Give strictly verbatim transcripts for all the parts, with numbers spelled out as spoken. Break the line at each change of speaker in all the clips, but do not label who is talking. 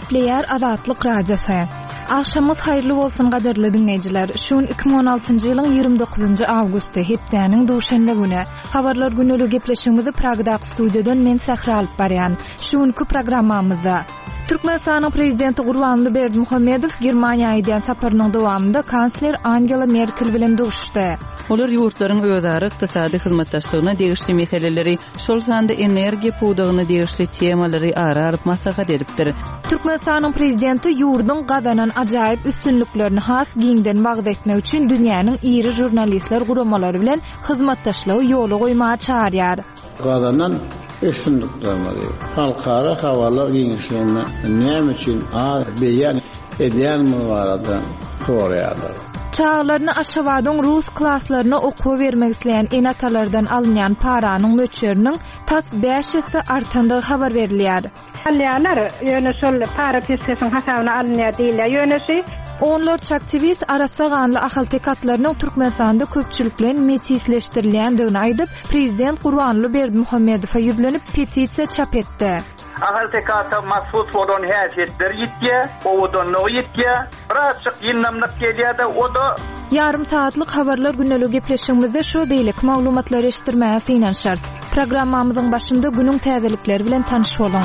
Gepleýär Azatlyk Radiosy. Agşamyňyz haýyrly bolsun gadyrly diňleýjiler. Şu gün iki müň on altynjy ýylyň ýigrimi dokuzynjy awgusty, hepdäniň duşenbe güni. Habarlar günlügi gepleşigimizi Pragdaky studiýadan men Sähra alyp barýan. Şu günki programmamyzda Türkmenistanyň prezidenti Gurbanguly Berdimuhamedow Germaniýa edýän saparynyň dowamynda kansler Angela Merkel bilen duşuşdy.
Olar ýurtlaryň özara ykdysady hyzmatdaşlygyna degişli meseleleri, şol sanda energiýa pudagyna degişli temalary ara alyp maslahat edipdir.
Türkmenistanyň prezidenti ýurduň gazanan ajaýyp üstünliklerini has giňden wagyz etmek üçin dünýäniň iri žurnalistler guramalary bilen hyzmatdaşlygy ýola goýmaga çağırýar.
Gazanan üstünliklerimizi halkara habarlar giňişliginde näme üçin az beýan edýän barada soraýarlar.
Çağlaryny Aşgabadyň rus klaslaryna okuwa bermek isleýän ene-atalardan alynýan paranyň möçberiniň tas bäş esse artandygy habar berilýär.
Alýarlar, ýöne şol para pesesiň hasabyna alynýar diýilýär. Ýöne şu
Onlarça aktiwist arassa ganly Ahalteke atlarynyň Türkmenistanda köpçülikleýin metisleşdirilýändigini aýdyp, prezident Gurbanguly Berdimuhamedowa ýüzlenip petisiýa çap etdi.
Ahalteke ata mahsus bolan häsiýetleri ýitýär, owadanlygy ýitýär, birazjyk ýyndamlyk gelýär de, o da
Ýarym saatlyk habarlar günlügi gepleşigimizde şu beýleki maglumatlary eşitdirmäge synanyşarys. Programmamyzyň başynda günüň täzelikleri bilen tanyş boluň.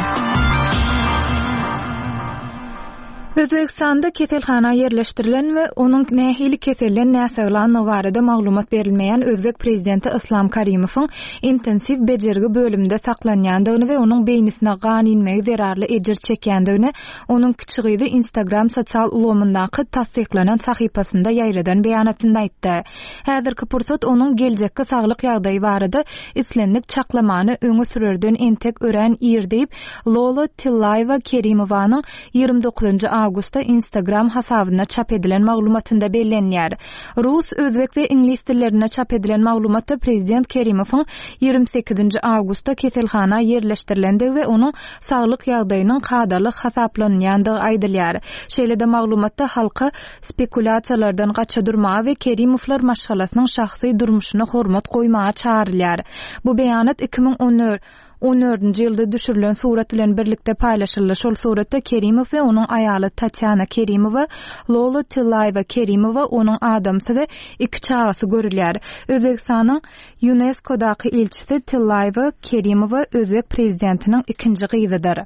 Özbekistanda keselhana ýerleşdirilen we onuň nähili kesellen näsaglandygy barada maglumat berilmeýän Özbek prezidenti Islam Karimowyň intensiw bejergi bölüminde saklanýandygyny we onuň beýnisine gan inmegi zerarly ejir çekýändigini onuň kiçi gyzy Instagram sosial ulgamyndaky tassyklanan sahypasynda ýaýradan beýanatynda aýtdy. Häzirki pursat onuň geljekki saglyk ýagdaýy barada islendik çaklamany öňe sürerden entek örän ir diýip, Lola Tillaýewa Kerimowanyň ýigrimi dokuzynjy awgustda Instagram hasabynda çap edilen maglumatynda bellenýär. Rus, özbek we iňlis dillerinde çap edilen maglumatda prezident Kerimowyň ýigrimi sekizinji awgustda keselhana ýerleşdirilendigi we onuň saglyk ýagdaýynyň kadaly hasaplanýandygy aýdylýar. Şeýle-de maglumatda halka spekulýasiýalardan gaça durmaga we Kerimowlar maşgalasynyň şahsy durmuşyna hormat goýmaga çağrylýar. Bu beýanat iki müň on dördünji ýylda düşürilen surat bilen birlikde paýlaşyldy. Şol suratda Kerimow we onuň aýaly Tatýana Kerimowa, Lola Tillaýewa Kerimowa, onuň adamsy we iki çagasy görülýär. Özbekistanyň UNESCO-daky ilçisi Tillaýewa Kerimowa Özbek prezidentiniň ikinji gyzydyr.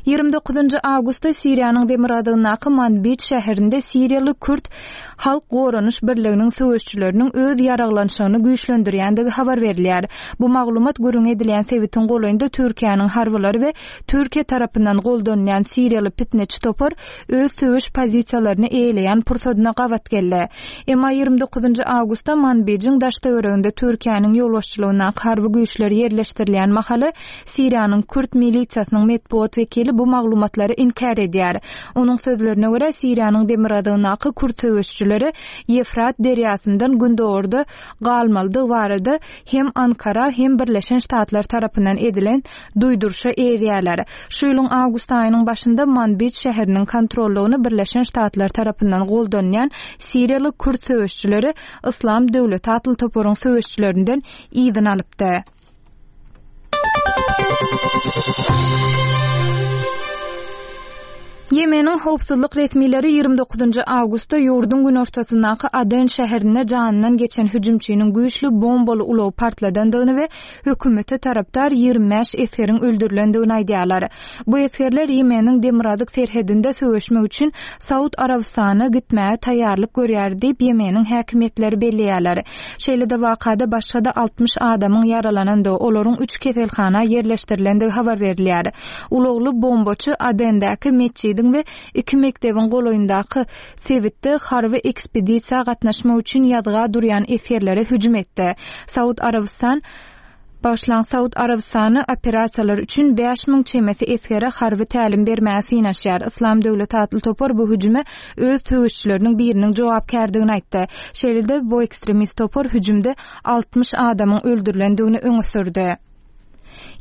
Ýigrimi dokuzynjy awgustda Siriýanyň demirgazygyndaky Manbij şäherinde Siriýaly Kürt Halk Goranyş Birliginiň söweşçileriniň öz ýaraglanşygyny güýçlendirýändigi habar berilýär. Bu maglumat gürrüň edilýän sebitiň golaýynda Türkiýäniň harbylary we Türkiýe tarapyndan goldanýan Siriýaly pitneçi topar öz söweş pozisiýalaryny eýeleýän pursadyna gabat geldi. Emma ýigrimi dokuzynjy awgustda Manbijiň daş töwereginde Türkiýäniň ýolbaşçylygyndaky harby güýçler ýerleşdirilýän mahaly Siriýanyň Kürt milisiýasynyň metbugat wekili bu maglumatlary inkär edýär. Onuň sözlerine görä Siriýanyň demirgazygyndaky Kürt söweşçileri Ýefrat derýasyndan gündogarda galmalydygy barada hem Ankara hem Birleşen Ştatlar tarapyndan edilen duýduryşa eýerýärler. Şu ýylyň awgust aýynyň başynda Manbij şäheriniň kontrollygyny Birleşen Ştatlar tarapyndan goldanýan Siriýaly Kürt söweşçileri Islam döwleti atly toparyň söweşçilerinden yzyny alypdy. Ýemeniň howpsuzlyk resmileri ýigrimi dokuzynjy awgustda ýurduň günortasyndaky Aden şäherinde janyndan geçen hüjümçiniň güýçli bombaly ulagy partladandygyny we hökümete tarapdar ýigrimi bäş esgeriň öldürilendigini aýdýarlar. Bu esgerler Ýemeniň demirgazyk serhedinde söweşmek üçin Saud Arabystanyna gitmäge taýýarlyk görýär diýip Ýemeniň häkimiýetleri belleýärler. Şeýle-de wakada başga-da altmyş adamyň ýaralanandygy, olaryň üç keselhana ýerleşdirilendigi habar berilýär. Ulagly bombaçy Adendäki metjidiň we iki mekdebiň golaýyndaky sebitde harby ekspedisiýa gatnaşmak üçin ýazga durýan esgerlere hüjüm etdi. Saud Arabystan Başlan Saud Arabystany operasiýalar üçin bäş müň çemesi esgere harby tälim bermäge synaşýar. Islam döwleti atly topar bu hüjüme öz söweşçileriniň biriniň jogapkärdigini aýtdy. Şeýle-de bu ekstremist topar hüjümde altmyş adamyň öldürilendigini öňe sürdi.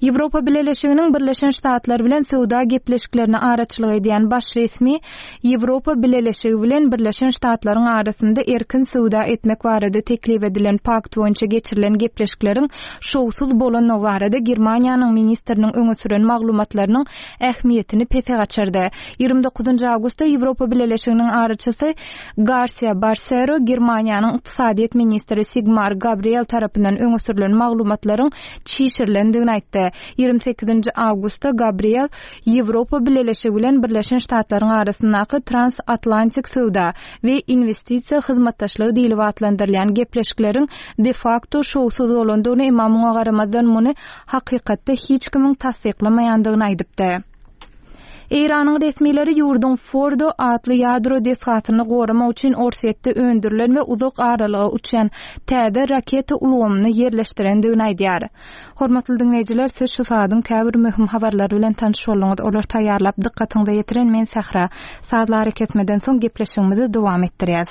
Ýewropa Bileleşiginiň Birleşen Ştatlar bilen söwda gepleşiklerine araçylyk edýän baş resmi Ýewropa Bileleşigi bilen Birleşen Ştatlaryň arasynda erkin söwda etmek barada teklip edilen pakt boýunça geçirilen gepleşikleriň şowsuz bolandygy barada Germaniýanyň ministriniň öňe süren maglumatlarynyň ähmiýetini pese gaçyrdy. Ýigrimi dokuzynjy awgustda Ýewropa Bileleşiginiň araçysy Garsiýa Barsero Germaniýanyň ykdysadyýet ministri Sigmar Gabriel tarapyndan öňe sürlen maglumatlaryň çişirilendigini aýtdy. Ýigrimi sekizinji awgustda Gabriel Ýewropa Bileleşigi bilen Birleşen Ştatlaryň arasyndaky transatlantik söwda we inwestisiýa hyzmatdaşlygy diýlip atlandyrylýan gepleşikleriň de-fakto şowsuz bolandygyny, emma muňa garamazdan muny hakykatda hiç kimiň tassyklamaýandygyny aýdypdy. Eýranyň resmileri ýurduň Fordo atly ýadro desgasyny goramak üçin Orsýetde öndürilen we uzak aralyga uçýan täze raketa ulgamyny ýerleşdirendigini aýdýar. Hormatly diňleýjiler, siz şu saadyň käbir möhüm habarlary bilen tanyş bolduňyz. Olary taýýarlap dykgatyňyza ýetiren men Sähra. Sazly arakesmeden soň gepleşigimizi dowam etdirýäs.